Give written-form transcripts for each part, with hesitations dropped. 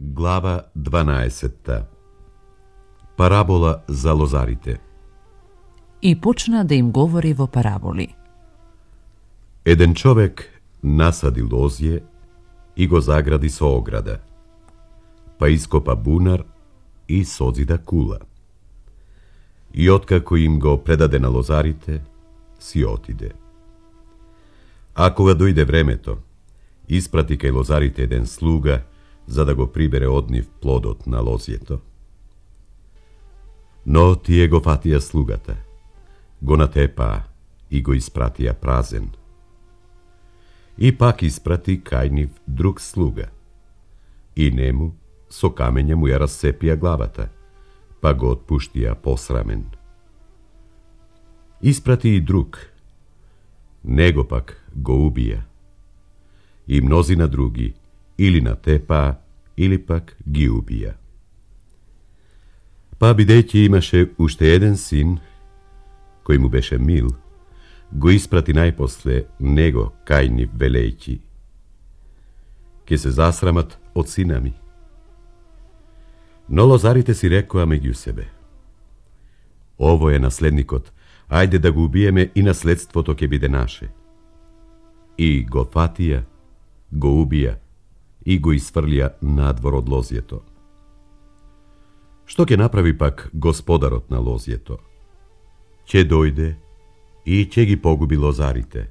Глава 12. Парабола за лозарите. И почна да им говори во параболи. Еден човек насади лозје и го загради со ограда, па ископа бунар и созида кула. И откако им го предаде на лозарите, си отиде. А кога дојде времето, испрати кај лозарите еден слуга, за да го прибере од нив плодот на лозјето. Но тие го фатија слугата, го натепаа и го испратија празен. И пак испрати кај нив друг слуга, и нему со камења му ја рассепија главата, па го отпуштија посрамен. Испрати и друг, него пак го убија, и мнозина други или натепаа, или пак ги убија. Па бидејќи имаше уште еден син, кој му беше мил, го испрати најпосле него кај нив велејќи: ке се засрамат од сина ми. Но лозарите си рекоа меѓу себе: ово е наследникот, ајде да го убиеме и наследството ќе биде наше. И го фатија, го убија и го isfрлија надвор од лозјето. Што ќе направи пак господарот на лозјето? Ќе дојде и ќе ги погуби лозарите,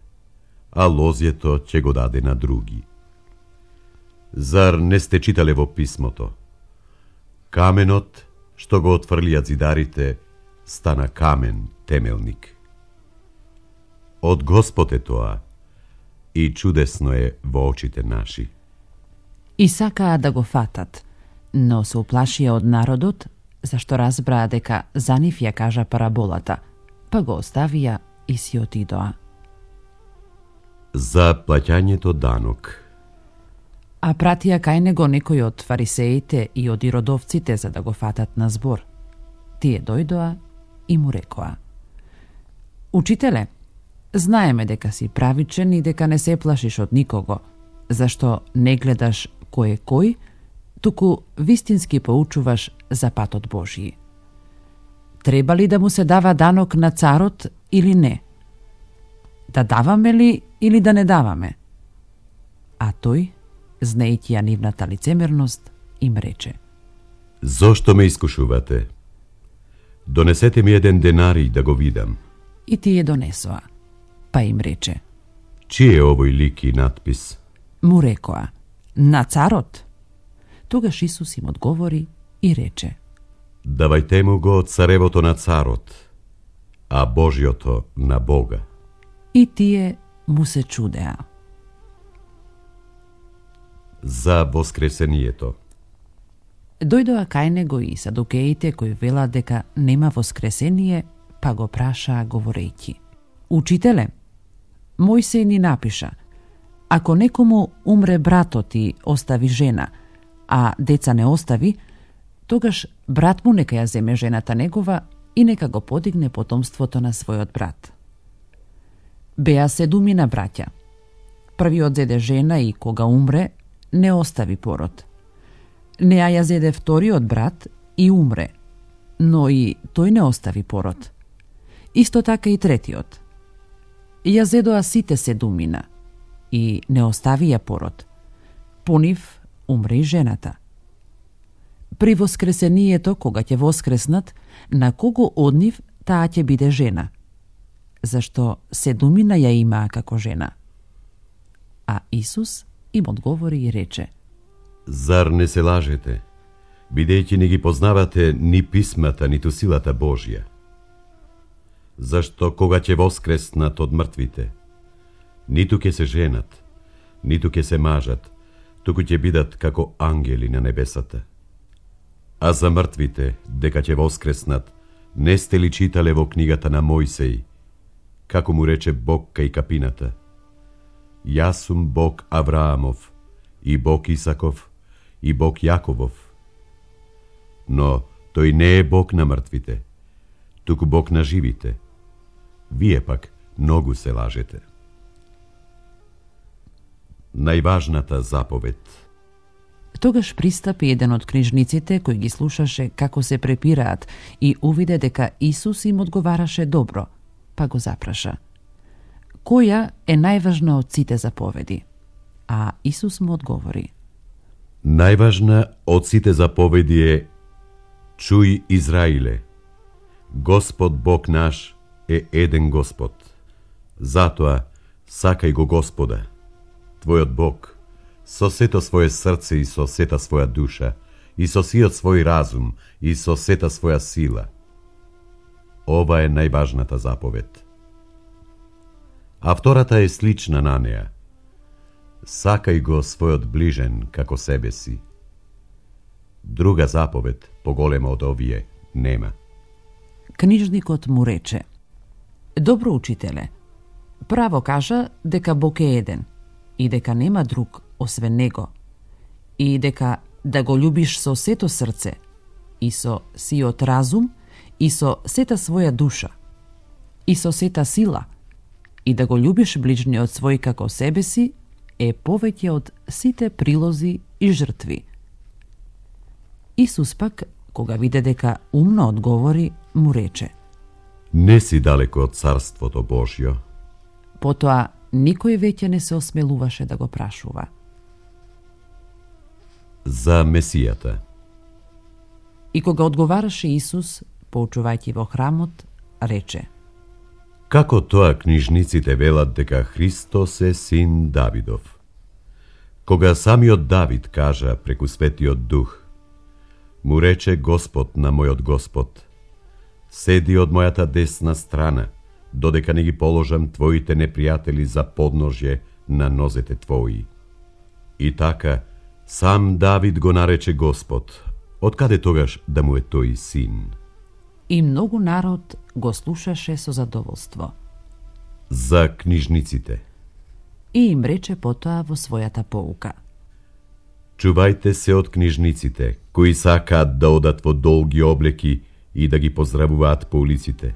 а лозјето ќе го даде на други. Зар не сте читале во писмото? Каменот што го отфрлија зидарите стана камен темелник. Од Господ е тоа и чудесно е во очите наши. И сакаа да го фатат, но се уплашија од народот, зашто разбраа дека за нив ја кажа параболата, па го оставија и си отидоа. За плаќањето данок. А пратија кај него некои од фарисеите и од иродовците за да го фатат на збор. Тие дојдоа и му рекоа: Учителе, знаеме дека си правичен и дека не се плашиш од никого, зашто не гледаш кој е кој, туку вистински поучуваш за патот Божји. Треба ли да му се дава данок на царот или не? Да даваме ли или да не даваме? А тој, знаејќи ја нивната лицемерност, им рече: Зошто ме искушувате? Донесете ми еден денарij да го видам. И тие донесоа. Па им рече: Чиј е овој лик и надпис? Му рекоа: На царот. Тогаш Исус им одговори и рече: Давајте му го царевото на царот, а Божјото на Бога. И тие му се чудеа. За воскресението. Дојдоа кај него и садукеите кои велат дека нема воскресение, па го прашаа говорејќи: Учителе, Мојсеј ни напиша: ако некому умре братот и остави жена, а деца не остави, тогаш брат му нека ја земе жената негова и нека го подигне потомството на својот брат. Беа 7 браќа. Првиот зеде жена и кога умре, не остави пород. Неа ја зеде вториот брат и умре, но и тој не остави пород. Исто така и третиот. Ја зедоа сите 7 и не оставија пород. По нив умре и жената. При воскресението, кога ќе воскреснат, на кого од нив таа ќе биде жена? Зашто 7 ја имаа како жена. А Исус им одговори и рече: Зар не се лажете, бидејќи не ги познавате ни писмата, ниту силата Божја? Зашто кога ќе воскреснат од мртвите, ниту ќе се женат, ниту ќе се мажат, туку ќе бидат како ангели на небесата. А за мртвите, дека ќе воскреснат, не сте ли читале во книгата на Мојсеј, како му рече Бог кај капината: Јас сум Бог Авраамов, и Бог Исаков, и Бог Јаковов. Но тој не е Бог на мртвите, туку Бог на живите. Вие пак многу се лажете. Најважната заповед. Тогаш пристапи еден од книжниците кој ги слушаше како се препираат и увиде дека Исус им одговараше добро, па го запраша: која е најважна од сите заповеди? А Исус му одговори: Најважна од сите заповеди е: чуј, Израиле, Господ Бог наш е еден Господ. Затоа сакај го Господа, твојот Бог, со сето своје срце и со сета своја душа, и со сиот свој разум, и со сета своја сила. Ова е најважната заповед. А втората е слична на неа: сакај го својот ближен како себе си. Друга заповед, поголема од овие, нема. Книжникот му рече: добро, учителе, право кажа дека Бог е еден и дека нема друг освен Него, и дека да го љубиш со сето срце и со сиот разум и со сета своја душа и со сета сила, и да го љубиш ближниот свој како себе си, е повеќе од сите прилози и жртви. Исус пак, кога виде дека умно одговори, му рече: не си далеко од Царството Божјо. Потоа никој веќе не се осмелуваше да го прашува. За Месијата. И кога одговараше Исус, поучувајќи во храмот, рече: како тоа книжниците велат дека Христос е син Давидов? Кога самиот Давид кажа преку Светиот Дух: му рече Господ на мојот Господ: седи од мојата десна страна, додека не ги положам твоите непријатели за подножје на нозете твои. И така, сам Давид го нарече Господ, откаде тогаш да му е тој син? И многу народ го слушаше со задоволство. За книжниците. И им рече потоа во својата поука: чувајте се од книжниците, кои сакаат да одат во долги облеки и да ги поздравуваат по улиците,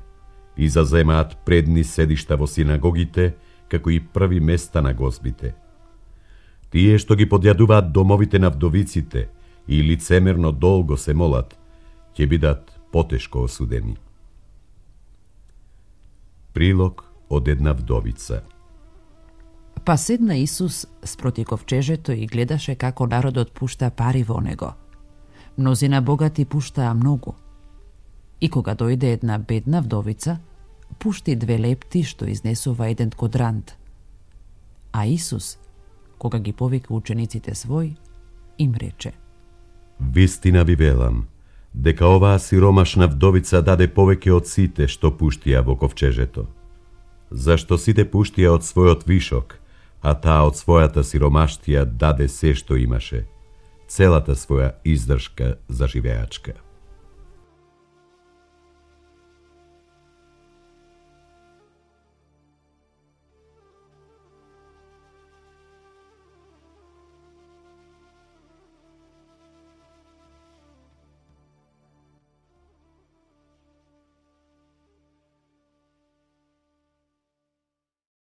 и заземаат предни седишта во синагогите, како и први места на гозбите. Тие што ги подјадуваат домовите на вдовиците и лицемерно долго се молат, ќе бидат потешко осудени. Прилог од една вдовица. Па седна Исус спроти ковчежето и гледаше како народот пушта пари во него. Мнозина богати пуштаа многу. И кога дојде една бедна вдовица, пушти 2 лепти што изнесува 1 квадрант. А Исус, кога ги повика учениците свој, им рече: вистина ви велам, дека оваа сиромашна вдовица даде повеќе од сите што пуштија во ковчежето. Зашто сите пуштија од својот вишок, а таа од својата сиромаштија даде се што имаше, целата своја издршка за живеачка.